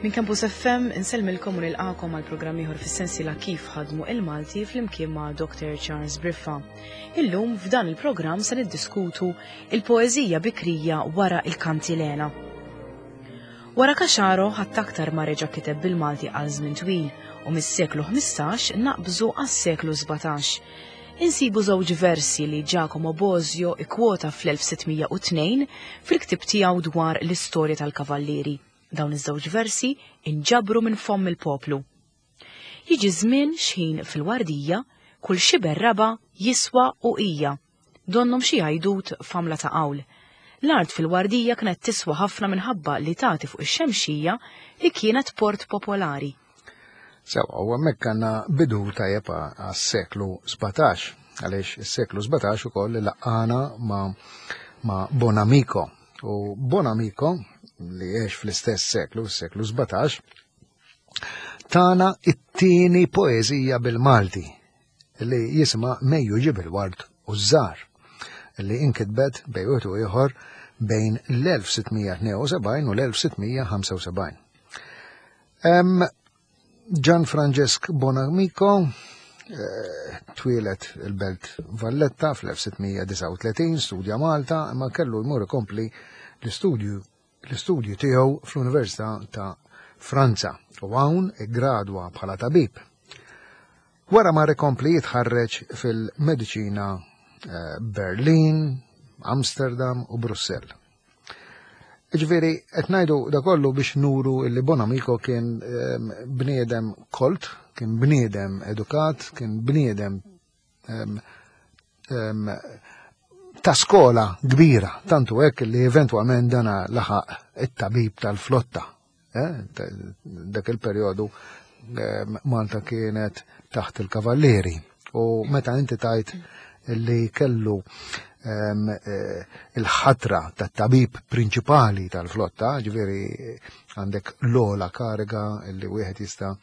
Minn Campus FM insellmilkom u nilqakom għal programm ieħor fis-sensiela Kif ħadmu il-Malti flimkien ma' Dr. Charles Briffa. Illum f'dan il-programm se niddiskutu il-poeżija bikrija wara il-kantilena. Wara Caxaro ħadd aktar ma reġa' kiteb bil-Malti għal żmien twil u mis-seklu 15 naqbżu għas-seklu 17. Insibu żewġ versi li Giacomo Bosio ikkwota fl-1602 fil-ktieb tiegħu dwar l-istorja tal-kavallieri. Dawn iż-żewġ versi inġabru minn fomm il-poplu. Jiġi żmien xħin fil-wardija kull xiber raba' jiswa uqija. Donnhom xi għajdut f'għamla ta' qawl. L-art fil-wardija kienet tiswa ħafna minħabba li tagħti fuq ix-Xemxija li kienet port popolari. Sewa, u hemmhekk għandna bidu tajjeb għas-seklu 17, għaliex is-seklu 17 ukoll laqana ma' ma' Bonamico. U Bonamico, li għex fl-istess seklu, s-seklu 17, tana it-tieni poeżija bil-Malti li jisma Mejju ġib il-ward u ż-żar li inkitbet bejn wieħed u ieħor bejn l-1672 u l-1675. Gian Francesc Bonamico eh, twieled il-belt Valletta fl-1639, studja Malta, imma kellu jmur ikompli l-istudju l-istudju tiegħu fl-Università ta' Franza u hawn iggradwa bħala tabib. Wara mar ikompli jitħarreġ fil-mediċina eh, Berlin, Amsterdam u Brussell. Ġifieri, qed ngħidu da kollu biex nuru li Bonamico kien ehm, bniedem kolt, kien bniedem edukat, kien bniedem ehm, ehm, ta' skola kbira, tantu hekk li eventwalment dana laħaq it-tabib tal-flotta. Eh, dak il-perjodu Malta kienet taħt il-kavallieri u meta inti tajt li kellu eh, il-ħatra tat tabib prinċipali tal-flotta, ġifieri għandek l-ola kariga li wieħed jista'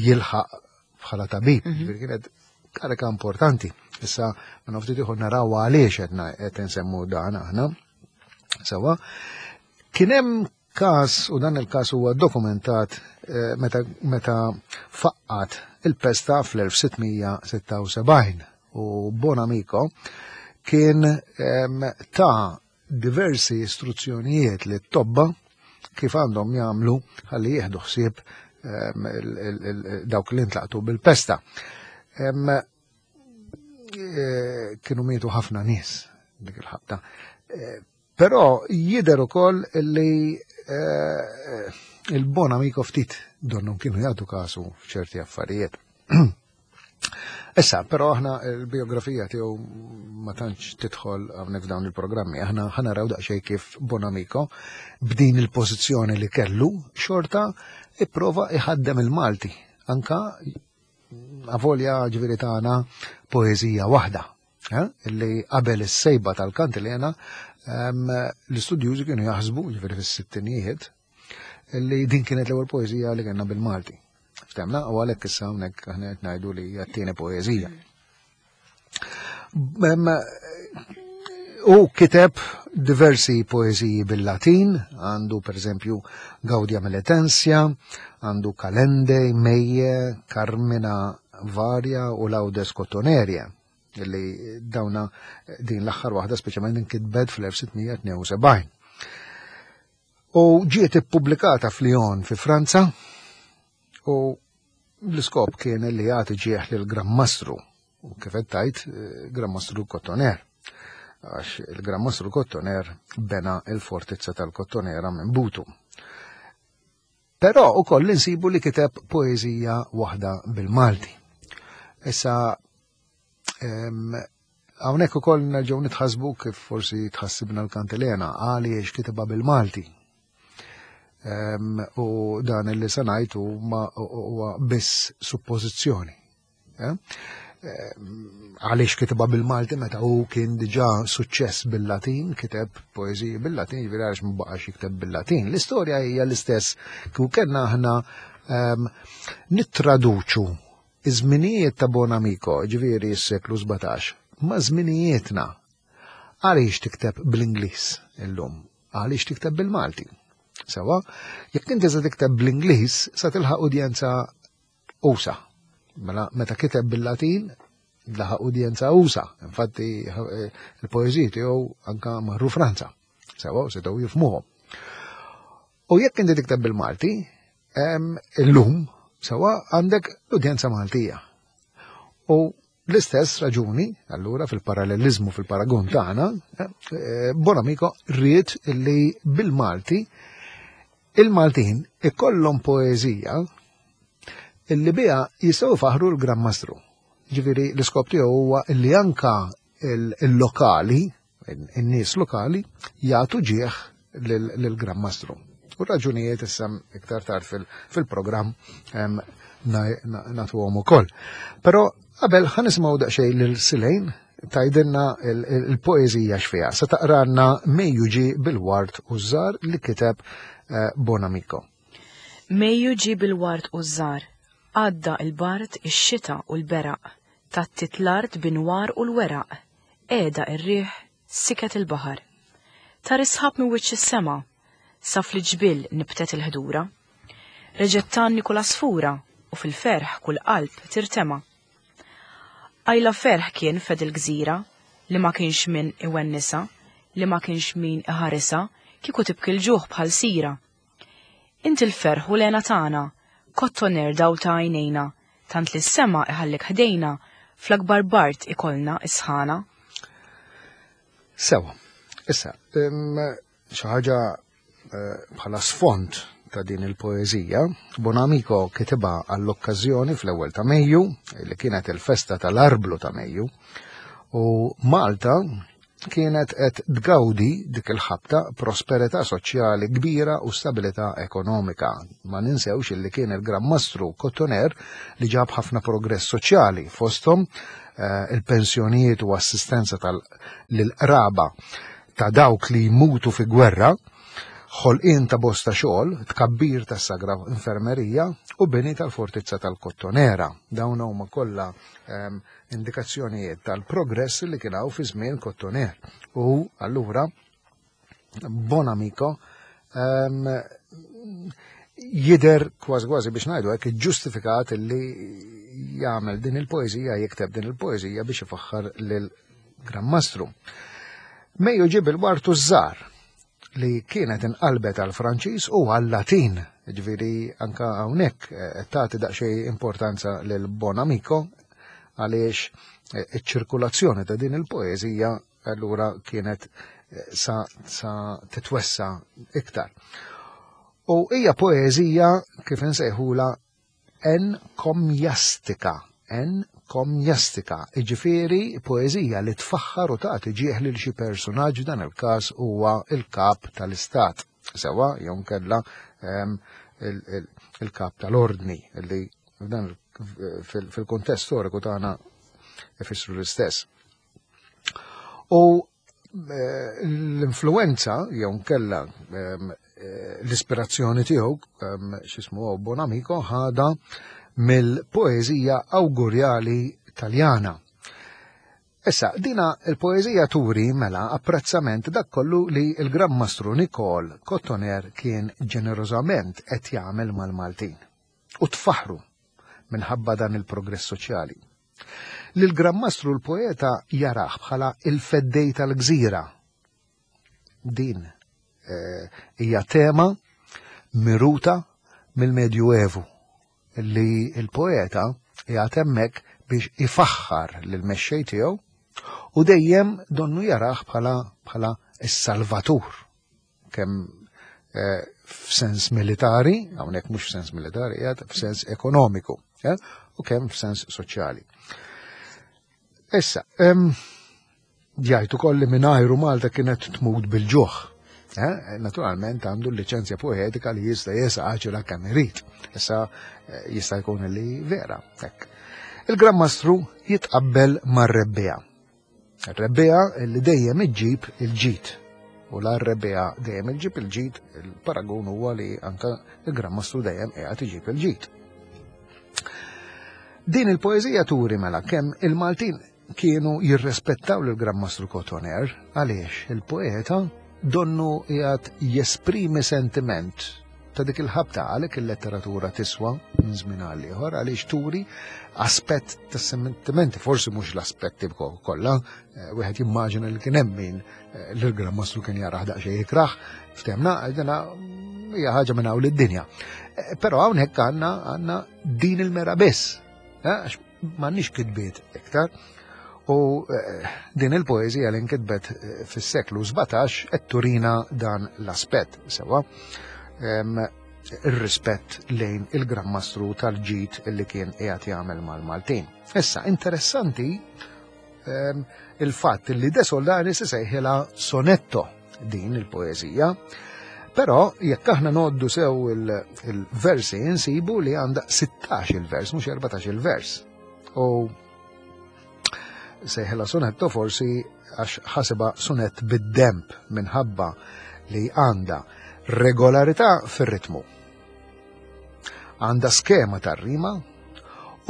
jilħaq bħala tabib, mhm. ġifieri kienet kariga importanti. Issa, ma naftit ieħor naraw għaliex qed nsemmu dan aħna. Sewa, kien hemm Każ, u dan il-każ huwa dokumentat eh, meta, meta faqqat il-pesta fl-1676 u Bonamico kien ta' diversi istruzzjonijiet li t-tobba kif għandhom jagħmlu ħalli jieħdu ħsieb dawk li ntlaqtu bil-pesta. Eh, kienu mietu ħafna nies dik il-ħabta. Eh, però jidher ukoll li eh, il-bon amico ftit donnhom kienu jagħtu kasu f'ċerti affarijiet. Issa, però aħna l-biografija tiegħu ma tantx tidħol hawnhekk f'dawn il-programmi. Aħna ħanaraw daqsxejn kif Bonamico b'din il-pożizzjoni li kellu xorta ipprova iħaddem il-Malti anka avolja ġifieri tagħna poeżija waħda eh, li qabel is-sejba tal-kantilena ehm, l-istudjużi kienu jaħsbu ġifieri fis-sittinijiet li din kienet l-ewwel poeżija li kellna bil-Malti. Ftemna u għalhekk issa hawnhekk aħna qed ngħidu li hija t-tieni poeżija. U kiteb diversi poeżiji bil-Latin, għandu per eżempju Gaudia Meletensia, għandu Kalende, Meje, Carmina Varia u Laudes Cotoneria, li dawna din l-aħħar waħda speċjalment inkitbet fl-1672. U ġiet ippubblikata f'Lyon fi Franza u l-iskop kien li jagħti ġieħ lil Gran Mastru u kif qed tajt eh, Gran Mastru Kottoner. Għax il-Gran Mastru Kottoner bena il-fortizza tal-Kottonera minn Butu. Però ukoll insibu li kiteb poeżija waħda bil-Malti. Issa hawnhekk ukoll nerġgħu nitħasbu kif forsi tħassibna l-kantilena għaliex kitibha bil-Malti. U dan li se ngħid huwa biss suppożizzjoni. Eh? Għaliex kitibha bil-Malti meta hu kien diġà suċċess bil-Latin, kiteb poeżiji bil-Latin, jiġifieri għaliex ma baqax jikteb bil-Latin. L-istorja hija l-istess kieku kellna aħna nittraduċu iż-żminijiet ta' Bonamico, ġifieri s-seklu 17, ma' żminijietna. Għaliex tikteb bl-Ingliż illum? Għaliex tikteb bil-Malti? Sewa, jekk inti se tikteb bl-Ingliż sa tilħaq udjenza usa. Mela meta kiteb bil-Latin laħaq udjenza usa. Infatti eh, il-poeżiji tiegħu anka marru Franza. Sewa, setgħu jifmuhom. U jekk inti tikteb bil-Malti, illum sewa għandek l-udjenza Maltija. U l-istess raġuni, allura fil-parallelizmu fil-paragun tagħna, eh, Bonamico ried li bil-Malti il-Maltin ikollhom poeżija illi biha jistgħu faħru l-Gran Mastru. Ġifieri l-iskop tiegħu huwa li anka il-lokali, in-nies lokali, jagħtu ġieħ lill-Gran Mastru. U raġunijiet issa iktar tard fil-programm nagħtuhom ukoll. Però qabel ħa nisimgħu daqsxejn lil Silejn tgħidilna il-poeżija x'fiha. Se taqranna Mejju ġie bil-ward u ż-żar li kiteb eh, Bonamico. Mejju ġie bil-ward u ż-żar, għadda il-bard, ix-xita u l-beraq, tgħattiet l-art bin-nwar u l-weraq, qiegħda r-riħ, siket il-baħar. Tar is-sħab minn wiċċ is-sema, sa fl-ġbiel nibtet il-ħdura. Reġgħet tgħanni kull għasfura u fil-ferħ kull qalb tirtema'. Qajla ferħ kien fed il-gżira li ma kienx min iwennisha, li ma kienx min iħarisha kieku tibki l-ġuħ bħal sira. Int il-ferħ u l-hena tagħna, kottoner dawl ta' għajnejna, tant li s-sema iħallik ħdejna, fl-akbar bard ikollna s-sħana. Sewa, issa, xi ħaġa eh, bħala sfond ta' din il-poeżija, Bonamico kitibha għall-okkażjoni fl-ewwel ta' Mejju, li kienet il-festa tal-arblu ta' Mejju, u Malta kienet qed tgawdi dik il-ħabta prosperità soċjali kbira u stabilità ekonomika. Ma ninsewx illi kien il-Gran Mastru Kottoner li ġab ħafna progress soċjali fosthom eh, il-pensjonijiet u assistenza tal-qraba ta' dawk li jmutu fi gwerra, ħolqien ta' bosta xogħol, tkabbir tas-sagra infermerija u bini tal-fortizza tal-Kottonera. Dawn huma kollha ehm, indikazzjonijiet tal-progress li kien hawn fi żmien Kottoner. U allura Bonamico um, jider kważi kważi biex ngħidu hekk ġustifikat li jagħmel din il-poeżija, jikteb din il-poeżija biex ifaħħar lil Gran Mastru. Mejju ġib il-wartu żgħar li kienet inqalbet għal Franċiż u għal Latin. Ġifieri anka hawnhekk eh, tagħti daqsxejn importanza lil Bonamico għaliex eh, iċ-ċirkulazzjoni ta' din il-poeżija allura kienet eh, sa, sa titwessa iktar. U hija poeżija kif insejħula enkomjastika, enkomjastika, jiġifieri poeżija li tfaħħar u tagħti ġieħ lil xi persunaġġ dan il-każ huwa il-kap tal-istat, sewwa jew nkella ehm, il-kap tal-ordni li f'dan fil-kuntest storiku tagħna ifissru l-istess. U eh, l-influenza jew nkella ehm, eh, l-ispirazzjoni tiegħu ehm, x'ismu Bonamico ħada mill-poeżija awgurjali Taljana. Issa, dina il-poeżija turi mela apprezzament dak kollu li l-Gran Mastru Nikol Kottoner kien ġenerożament qed jagħmel mal-Maltin. U tfaħru minħabba dan il-progress soċjali. Lil Gran Mastru l-poeta jarah bħala il-feddej tal-gżira. Din eh, hija tema miruta mill-Medju Evu li l-poeta qiegħed hemmhekk biex ifaħħar lil mexxej tiegħu u dejjem donnu jarah bħala bħala s-salvatur kemm eh, f'sens militari, hawnhekk mhux f'sens militari, qiegħed f'sens ekonomiku, eh, u kemm f'sens soċjali. Issa, jgħid ukoll li mingħajru Malta kienet tmut bil-ġuħ. Eh, naturalment għandu l-liċenzja poetika li jista' jesaġera kemm irid. Issa jista' jkun li vera. Hekk. Il-Gran Mastru jitqabbel mar-rebbija. Rebbiegħa li dejjem iġġib il-ġid. U la r-rebbiegħa dejjem iġġib il-ġid, il-paragun huwa li anka il-Gran Mastru dejjem qiegħed iġib il-ġid. Din il-poeżija turi mela kemm il-Maltin kienu jirrespettaw lil Gran Mastru Cotoner għaliex il-poeta Donnu qiegħed jesprimi sentiment ta' dik il-ħabta għalhekk il-letteratura tiswa minn żmien għal ieħor għaliex turi aspett ta' sentimenti, forsi mhux l-aspetti kollha, eh, wieħed jimmaġina li kien hemm min eh, l-Gran Mastru kien jaraħ daqsxejn ikrah, ftemna dina hija ħaġa minn hawn lid-dinja. Eh, però hawnhekk għandna għandna din il-mera biss, għax m'għandniex kitbiet iktar. U din il-poeżija li nkitbet fis-seklu 17 qed turina dan l-aspett sewa ir-rispett lejn il-Gran Mastru tal-ġid li kien qiegħed jagħmel mal-Maltin. Issa interessanti il-fatt li De Soldanis isejħilha sonetto din il-poeżija. Però jekk aħna noddu sew il-versi insibu li għandha 16 il-vers, mhux 14 il-vers. U sejħilha sonetto forsi għax ħasibha sonett bid-demp minħabba li għandha regolarità fir-ritmu. Għandha skema tar-rima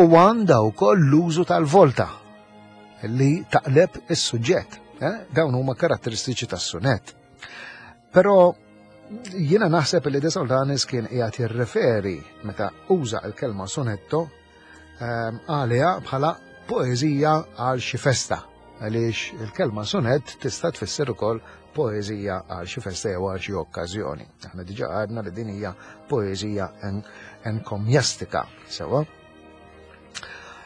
u għandha wkoll l-użu tal-volta li taqleb is-suġġett. Eh? Dawn huma karatteristiċi tas-sunett. Però jiena naħseb li De Soldanis kien qiegħed jirreferi meta uża l-kelma sonetto għaliha bħala poeżija għal xi festa għaliex il-kelma sonett tista' tfisser ukoll poeżija għal xi festa jew għal xi okkażjoni. Aħna diġà għadna li din hija poeżija enkomjastika, sewa.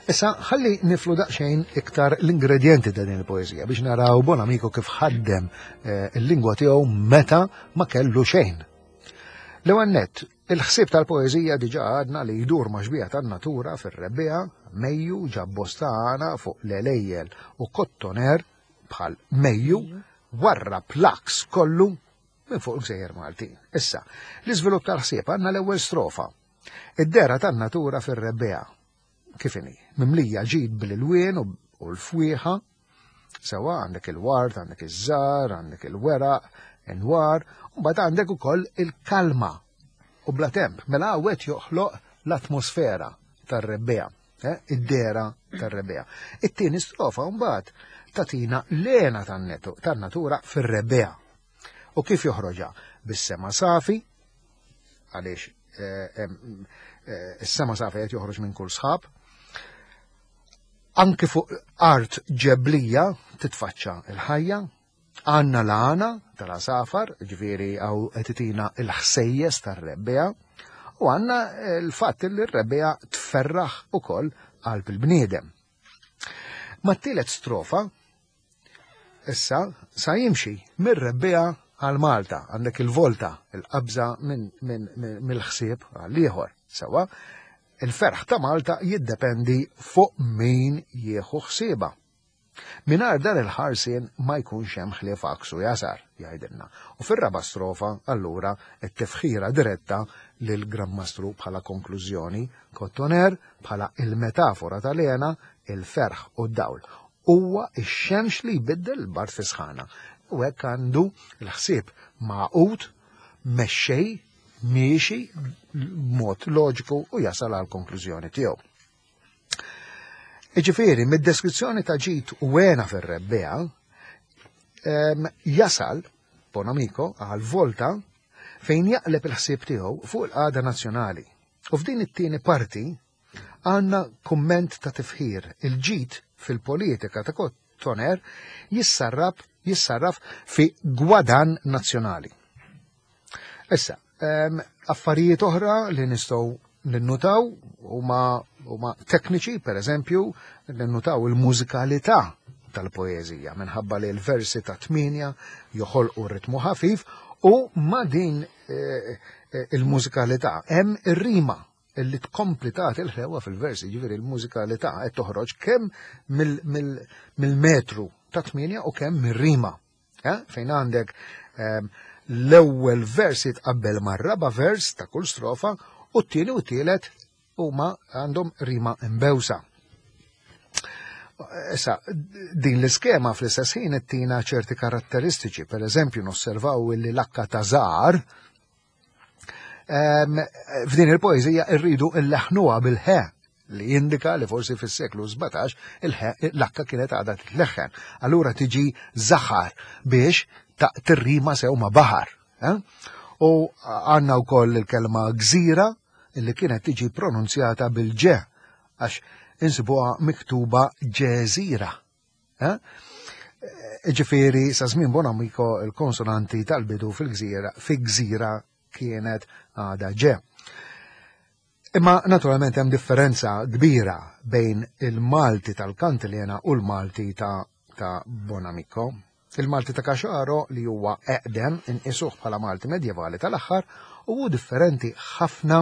Issa ħalli niflu daqsxejn iktar l-ingredjenti ta' din il-poeżija biex naraw Bonamico kif ħaddem eh, il-lingwa tiegħu meta ma kellu xejn. L-ewwel nett, il-ħsieb tal-poeżija diġà għadna li jdur ma' xbieha tan-natura fir-rebbiegħa, Mejju ġab bosta għana fuq l-għelejjel u Kottoner bħal Mejju warrab l-għaks kollu minn fuq il-gżejjer Maltin. Issa, l-iżvilupp tal-ħsieb għandna l-ewwel strofa. Id-dehra tan-natura fir-rebbiegħa. Kif inhi? Mimlija ġid bl-ilwien u l-fwieħa, Sewa għandek il-ward, għandek iż-żar, għandek il-weraq, inwar, u mbagħad għandek ukoll il-kalma u bla temp. Mela hawn joħloq l-atmosfera tar-rebbiegħa, eh, id-dera tar-rebbiegħa. It-tieni strofa mbagħad tatina l-għena tan-natura fir-rebbiegħa. U kif joħroġha? Bis-sema safi, għaliex eh, eh, is-sema safi qed joħroġ minn kull sħab, Anki fuq art ġeblija titfaċċa l-ħajja, għandna l-għana tal-għasafar, ġifieri għaw qed il-ħsejjes tar-rebbiegħa, u għandna l-fatt li r-rebbiegħa tferraħ ukoll qalb il-bniedem. Mat-tielet strofa, Issa, sa jimxi mir-rebbiegħa għal Malta, għandek il-volta, il-qabża mill-ħsieb għall-ieħor. Sewa, il-ferħ ta' Malta jiddependi fuq min jieħu ħsiebha. Mingħajr dan il-ħarsien ma jkunx hemm ħlief għaks u jasar, jgħidilna. U fir-raba' strofa, allura, it-tifħira diretta lil Gran Mastru bħala konklużjoni, Kottoner bħala il-metafora tal-hena, il-ferħ u d-dawl. Huwa x-xemx li jbiddel il-bard fi sħana. U hekk għandu l-ħsieb magħqud, mexxej, miexi b'mod loġiku u jasal għal konklużjoni tiegħu. Iġifieri, mid-deskrizzjoni ta' ġid u għena fir-rebbiegħa, jasal Bonamico għal volta fejn jaqleb il-ħsieb tiegħu fuq il-qagħda nazzjonali. U f'din it-tieni parti Għandna kumment ta' tifħir, il-ġid fil-politika ta' Kottoner jissarraf jissarraf fi gwadann nazzjonali. Issa, affarijiet oħra li nistgħu ninnutaw huma huma tekniċi, per eżempju, ninnutaw il-mużikalità tal-poeżija minħabba li l-versi ta' tmienja joħolqu ritmu ħafif u ma' din eh, eh, il-mużikalità hemm ir-rima li tkompli tagħti l-ħlewa fil-versi, ġifieri l-mużikalità qed toħroġ kemm mill-metru ta' tmienja u kemm mir-rima. Eh? Fejn għandek ehm, l-ewwel vers jitqabbel mar-raba' vers ta' kull strofa u t-tieni u t-tielet huma għandhom rima imbewsa. Issa, din l-iskema fl-istess ħin ittina ċerti karatteristiċi, per eżempju nosservaw li l-akka ta' żgħar F'din il-poeżija rridu illeħnuha bil-ħe li jindika li forsi fis-seklu 17 il-ħe l-akka kienet għadha titleħħen. Allura tiġi zaħar biex ta' tirrima sew ma' baħar. Eh? U għandna wkoll il-kelma gżira li kienet tiġi pronunzjata bil-ġe għax insibuha miktuba ġeżira. Eh? Ġifieri sa żmien Bonamico il-konsonanti tal-bidu fil-gżira fi gżira kienet għada ġe. Imma naturalment hemm differenza kbira bejn il-Malti tal-Kantilena u l-Malti ta', ta Bonamico. Il-Malti ta' Caxaro li huwa eqdem inqisuh bħala Malti medjevali tal-aħħar u hu differenti ħafna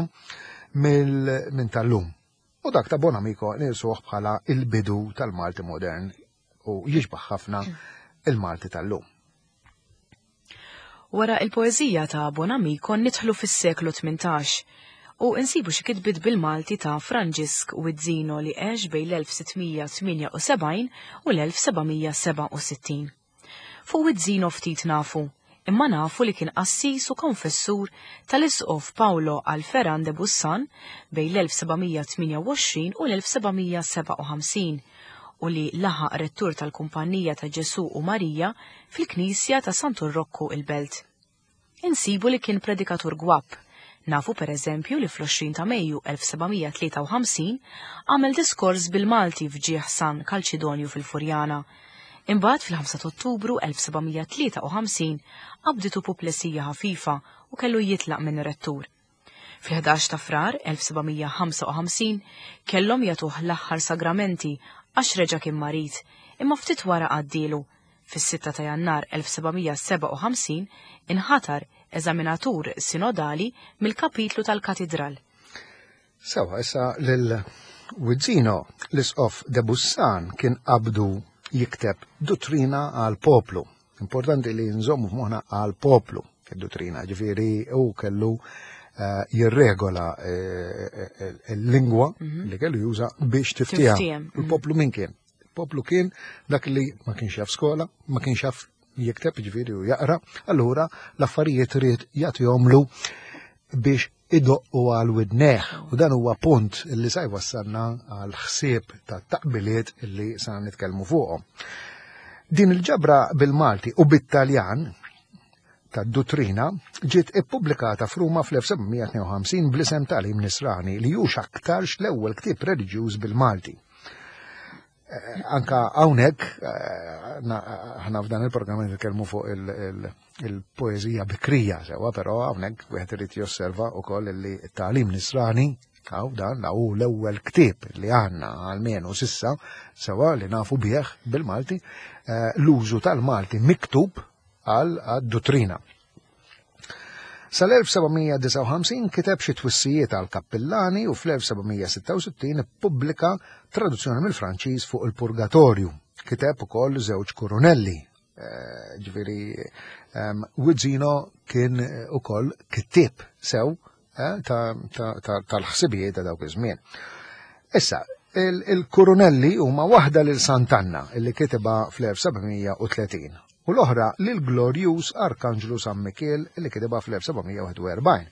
minn tal-lum. U dak ta' Bonamico nqisuh bħala il-bidu tal-Malti modern u jixbaħ ħafna il-Malti tal-lum. Wara il-poeżija ta' Bonamico nidħlu fis-seklu 18 u insibu xi kitbiet bil-Malti ta' Franġisk Wizzino li għex bejn l-1678 u l-1767. Fuq Wizzino ftit nafu, imma nafu li kien qassis u konfessur tal-Isqof Paolo Alferan de Bussan bejn l-1728 u l-1757 u li laħaq rettur tal-Kumpanija ta' Ġesù u Marija fil-Knisja ta' Santu Rokku il-Belt. Insibu li kien predikatur gwapp. Nafu per eżempju li fl-20 ta' Mejju 1753 għamel diskors bil-Malti f'ġieħ San Kalċidonju fil-Furjana. Imbagħad fil-5 ta' Ottubru 1753 qabditu puplesija ħafifa u kellu jitlaq minn rettur. Fil-11 ta' Frar 1755 kellhom jagħtuh l-aħħar sagramenti għax reġa' kien marid, imma ftit wara għaddielu. Fis-6 ta' Jannar 1757 inħatar eżaminatur sinodali mill-kapitlu tal-Katidral. Sewa, issa lil Wizzino, l-Isqof de Bussan kien qabdu jikteb duttrina għal poplu. Importanti li nżommu f'moħħna għal poplu id-duttrina, ġifieri u kellu eh, jirregola eh, eh, il-lingwa mhm. li kellu juża biex tiftiehem. Mhm. Il-poplu min kien? Il-poplu kien dak li ma kienx jaf skola, ma kienx jaf jikteb ġifieri u jaqra, allura l-affarijiet ried jagħtihomlu biex idoqqu għal widnejh u dan huwa punt li sa jwassalna għal ħsieb ta' taqbiliet li sa nitkellmu fuqhom. Din il-ġabra bil-Malti u bit-Taljan ta' duttrina ġiet ippubblikata f'Ruma fl-1752 bl-isem Tagħlim Nisrani li hux aktarx l-ewwel ktieb reliġjuż bil-Malti. Eh, anka hawnhekk eh, aħna f'dan il-programm nitkellmu fuq il-poeżija bikrija sewa, però hawnhekk wieħed irid josserva wkoll li t-tagħlim nisrani għaw dan hu l-ewwel ktieb li għandna għalmenu sissa sewa li nafu bih bil-Malti eh, l-użu tal-Malti miktub għal duttrina. Sal-1759 kiteb xi twissijiet għal kappillani u fl-1766 ippubblika traduzzjoni mill-Franċiż fuq il-Purgatorju. Kiteb ukoll żewġ kurunelli. Eh, ġifieri ehm, Wizzino kien ukoll kittieb sew eh, tal-ħsibijiet ta' dawk iż-żmien. Issa, il-kurunelli huma waħda lil Sant'Anna illi kitibha fl-1730 u l-oħra lill-glorjuż Arkanġlu San Mikiel li kitibha fl-1741.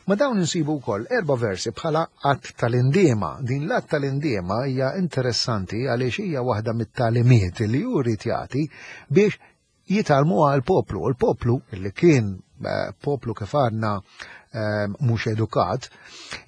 Ma' dawn insibu wkoll erba' versi bħala att tal-indiema. Din l-att tal-indiema hija interessanti għaliex hija waħda mit-tagħlimiet li hu ried jagħti biex jitgħallmuha l-poplu. Il-poplu li kien eh, poplu kif għadna eh, mhux edukat,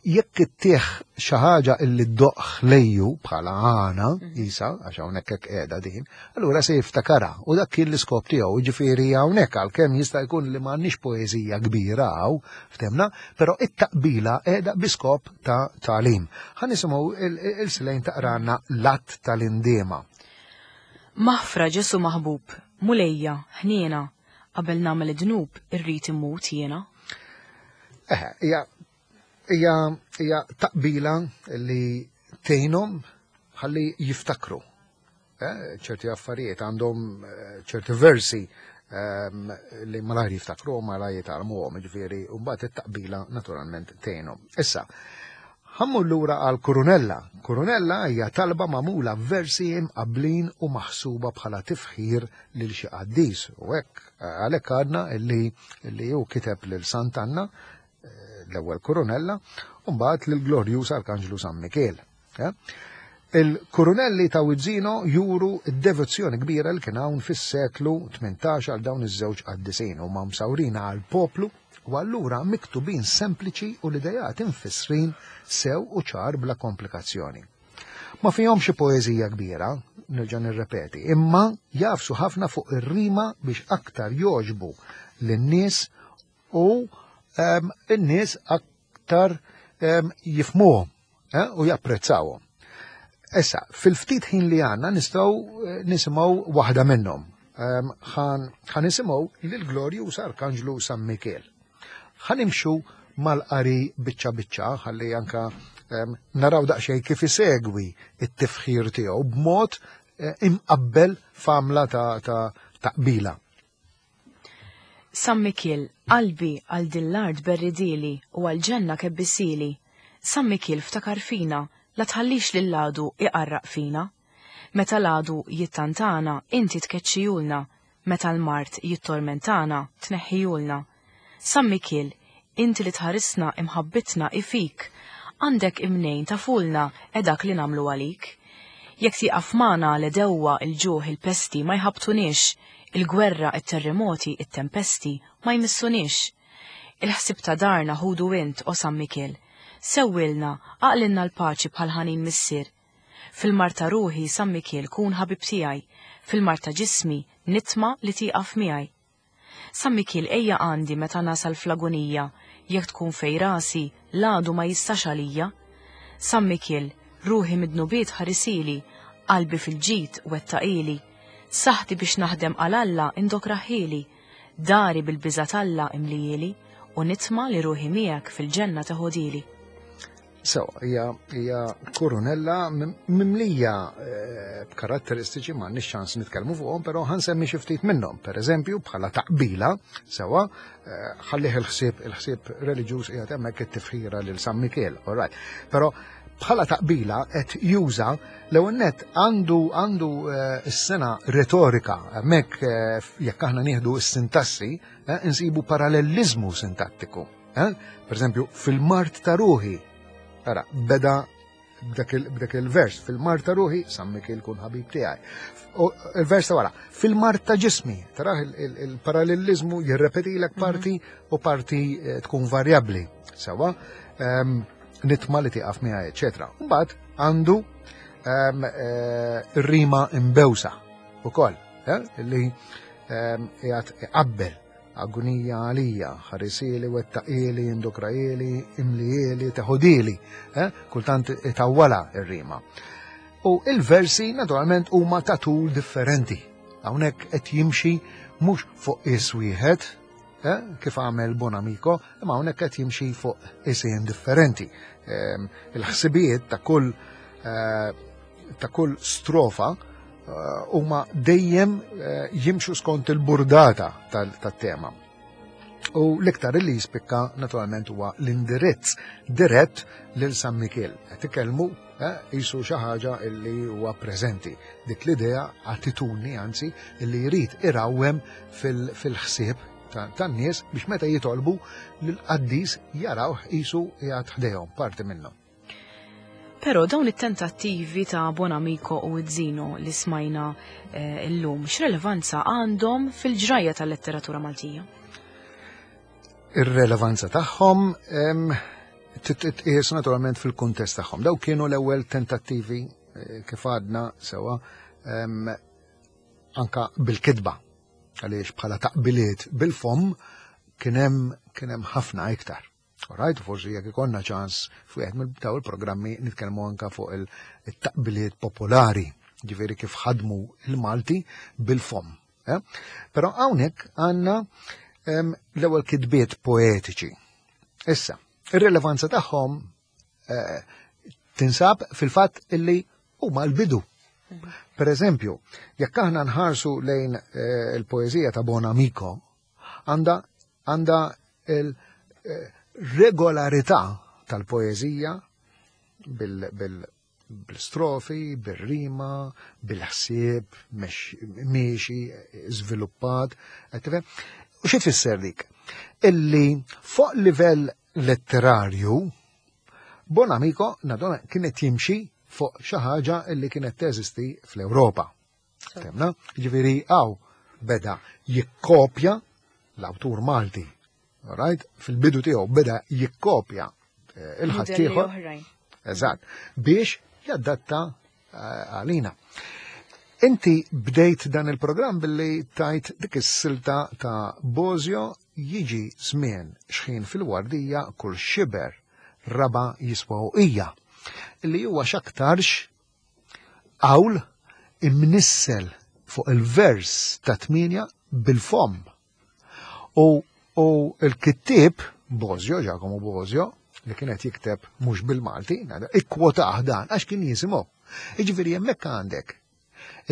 Jekk ittih xi ħaġa illi ddoqq lejju bħala għana, mhm. isa, għax hawnhekk hekk qiegħda din, allura se jiftakarha u dak kien l-iskop tiegħu, jiġifieri hawnhekk għalkemm jista' jkun li m'għandniex poeżija kbira hawn ftemna, però it-taqbila qiegħda bi skop ta' tagħlim. Ħa nisimgħu il-silejn taqranna l-att tal-indiema. Maħfra Ġesu maħbub, Mulejja, ħniena, Qabel nagħmel id-dnub irrid immut jiena. Eh, hija hija hija taqbila li tgħinhom ħalli jiftakru. Eh, ċerti affarijiet għandhom eh, ċerti versi ehm, li malajr jiftakru malajr jitgħallmuhom, ġifieri, u mbagħad it-taqbila naturalment tgħinhom. Issa, Ħammur lura għal Kurunella. Kurunella hija talba magħmula f'versi imqabblin u maħsuba bħala tifħir lil xi qaddis. U hekk għalhekk għadna li li hu kiteb lil Sant'Anna eh, l-ewwel Kurunella u mbagħad lil Glorjuż Arkanġlu San Mikiel. Eh? Il-kurunelli ta' Wizzino juru d-devozzjoni kbira li kien hawn fis-seklu 18 għal dawn iż-żewġ qaddisin huma msawrin għal poplu u allura miktubin sempliċi u l-idejat imfissrin sew u ċar bla komplikazzjoni. Ma fihom xi poeżija kbira, nerġa' nirrepeti, imma jafsu ħafna fuq ir-rima biex aktar joġbu lin-nies u n-nies aktar jifmuhom eh, u japprezzawhom. Issa, fil-ftit ħin li għanna nistgħu eh, nisimgħu waħda minnhom. Ħan nisimgħu lill-Glorjuż Arkanġlu San Mikiel. Ħan imxu mal-qari biċċa biċċa ħalli anka naraw daqsxejn kif isegwi it-tifħir tiegħu b'mod eh, imqabbel f'għamla ta' taqbila. San Mikiel, qalbi għal din l-art berridieli u għall-ġenna kebbisieli. San Mikiel ftakar fina, la tħallix lill-għadu iqarraq fina. Meta l-għadu jittantana, inti tkeċċihulna, meta l-mard jittormentana, tneħħihulna. San Mikiel, inti li tħarisna imħabbitna hi fik, għandek imnejn tafulna e dak li nagħmlu għalik. Jekk tieqaf magħna l-għedewwa, il-ġuħ, il-pesti ma jħabbtuniex, il-gwerra, it-terremoti, it-tempesti ma jmissuniex. Il-ħsieb ta' darna ħudu int, o San Mikiel. Sewwilna, għaqlilna l-paċi bħal ħanin missier. Fil-mard ta' ruħi, San Mikiel, kun ħabib tiegħi, fil-mard ta' ġismi, nitma' li tieqaf miegħi. San Mikiel ejja għandi meta nasal fl-agunija, jekk tkun fejn rasi, l-għadu ma jistax għalija. San Mikiel, ruħi mid-dnubiet ħarisili, qalbi fil-ġid wettaqili. Saħħti biex naħdem għal Alla indokraħhieli, dari bil-biża' t'Alla imlihieli, u nitma' li ruħi miegħek fil-ġenna teħodhieli. Sewa, hija hija kurunella mimlija eh, b'karatteristiċi ma nix ċans nitkellmu fuqhom, però ħansemmi xi ftit minnhom. Per eżempju, bħala taqbila, sewa, eh, ħallih il-ħsieb il-ħsieb reliġjuż qiegħed hemmhekk it-tifħira lil San Mikiel, all right. Però bħala taqbila qed juża l-ewwel nett għandu għandu eh, s-sena retorika hemmhekk jekk aħna nieħdu s-sintassi insibu paralleliżmu sintattiku. Eh? Per eżempju, fil-mart ta' ruħi, ara, beda b'dak il-vers, fil-mart ta' ruħi, San Mikiel kun ħabib tiegħi. Il-vers ta' wara, fil-mart ta' ġismi, taraħ il-parallelizmu jirrepetilek mhm. parti u parti eh, tkun varjabbli. Sewa, ehm, nitma li tiqaf miegħi, eċetera. Mbagħad għandu ehm, eh, rima imbewsa ukoll, eh, li ehm, qiegħed iqabbel Agunija għalija, ħarisieli, wettaqieli, indukrajieli, imlijieli, teħudieli, eh? kultant itawwala ir-rima. U il-versi naturalment huma ta' tul differenti. Hawnhekk qed jimxi mhux fuq is wieħed, eh? kif għamel Bonamico, imma hawnhekk qed jimxi fuq isien differenti. Ehm, il-ħsibijiet ta' kull eh, ta' kull strofa eh, huma dejjem eh, jimxu skont il-burdata tat-tema. U l-iktar li jispikka naturalment huwa l-indirizz dirett lil San Mikiel. Qed ikellmu eh, jisu xi ħaġa li huwa preżenti. Dik l-idea attitudni anzi li jrid irawwem fil-ħsieb tan-nies biex meta jitolbu l-qaddis jarawh qisu qiegħed ħdejhom parti minnhom. Però dawn it-tentattivi ta' Bonamico u Zino li smajna eh, illum, x'relevanza għandhom fil-ġrajja tal-letteratura Maltija? Ir-relevanza tagħhom titqies naturalment fil-kuntest tagħhom. Daw kienu l-ewwel tentattivi eh, kif għadna sewa anka bil-kitba għaliex bħala taqbiliet bil-fom kien hemm ħafna iktar. Alright, forsi jekk ikonna ċans fuq mill daw il-programmi nitkellmu anka fuq il-taqbiliet popolari, ġifieri kif ħadmu il-Malti bil-fom. Eh? Però hawnhekk għandna l-ewwel kitbiet poetiċi. Issa, ir-rilevanza tagħhom eh, tinsab fil-fatt illi huma l-bidu. Per eżempju, jekk aħna nħarsu lejn eh, il-poeżija ta' Bonamico, għandha għandha il-regolarità tal-poeżija bil-strofi, bil-rima, bil-ħsieb, miexi, żviluppat, U xi tfisser dik? Illi fuq livell letterarju, Bonamico, nadona, kienet jimxi fuq xi ħaġa li kienet teżisti fl-Ewropa. Temna, ġifieri hawn beda jikkopja l-awtur Malti. Right? Fil-bidu tiegħu beda jikkopja eh, il-ħaddieħor. Eżatt, biex jadatta eh, għalina. Inti bdejt dan il-programm billi tajt dik is-silta ta' Bozio jiġi żmien xħin fil-wardija kull xiber raba jiswa uqija, li huwa x'aktarx qawl imnissel fuq il-vers ta' tmienja bil-fomm. U, u l-kittieb Bozio, Giacomo Bozio, li kienet jikteb mhux bil-Malti, ikkwotah dan għax kien jisimgħu. Jiġifieri hemmhekk għandek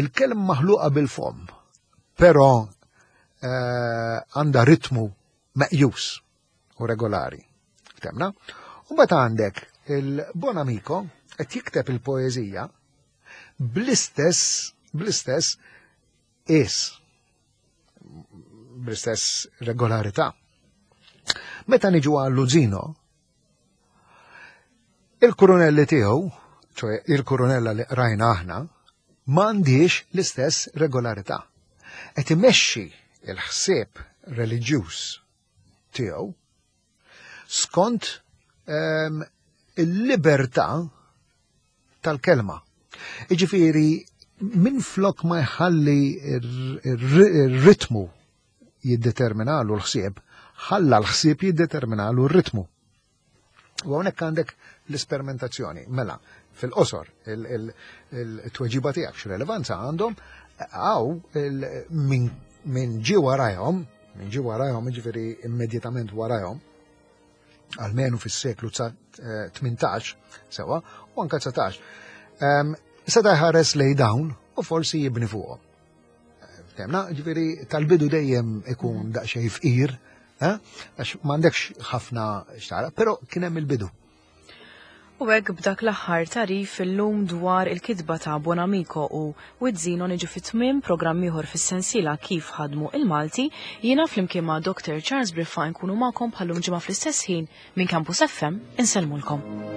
il-kelma maħluqa bil-fomm, però eh, għandha ritmu meqjus u regolari. Temna? U mbagħad għandek il-Bonamico qed jikteb il-poeżija bl-istess bl-istess is bl-istess regolarità. Meta niġu għal Luzino, il-kurunelli tiegħu, ċoe il-kurunella li qrajna aħna, m'għandix l-istess regolarità. Qed imexxi il-ħsieb reliġjuż tiegħu skont ehm, il-libertà tal-kelma. Iġifieri minn flok ma jħalli ir-ritmu jiddeterminalu l-ħsieb, ħalla l-ħsieb jiddeterminalu r-ritmu. U hawnhekk għandek l-isperimentazzjoni. Mela, fil-qosor, il-tweġiba tiegħek x'relevanza għandhom għaw minn ġi warajhom, minn ġi warajhom, ġifieri immedjatament warajhom, almenu fis-seklu 18, sewa, u anka 19. Ehm, seta' jħares lej dawn u forsi jibni fuqhom. Temna, ġifieri tal-bidu dejjem ikun daqsxejn fqir, eh? għax m'għandekx ħafna xtara, però kien hemm il-bidu. U hekk b'dak l-aħħar tagħrif illum dwar il-kitba ta' Bonamico u Wizzino niġu fi tmiem programm ieħor fis-sensiela Kif ħadmu il-Malti, jiena flimkien ma' Dr. Charles Briffa nkunu magħkom bħallum ġimgħa fl-istess ħin minn Campus FM insellmulkom.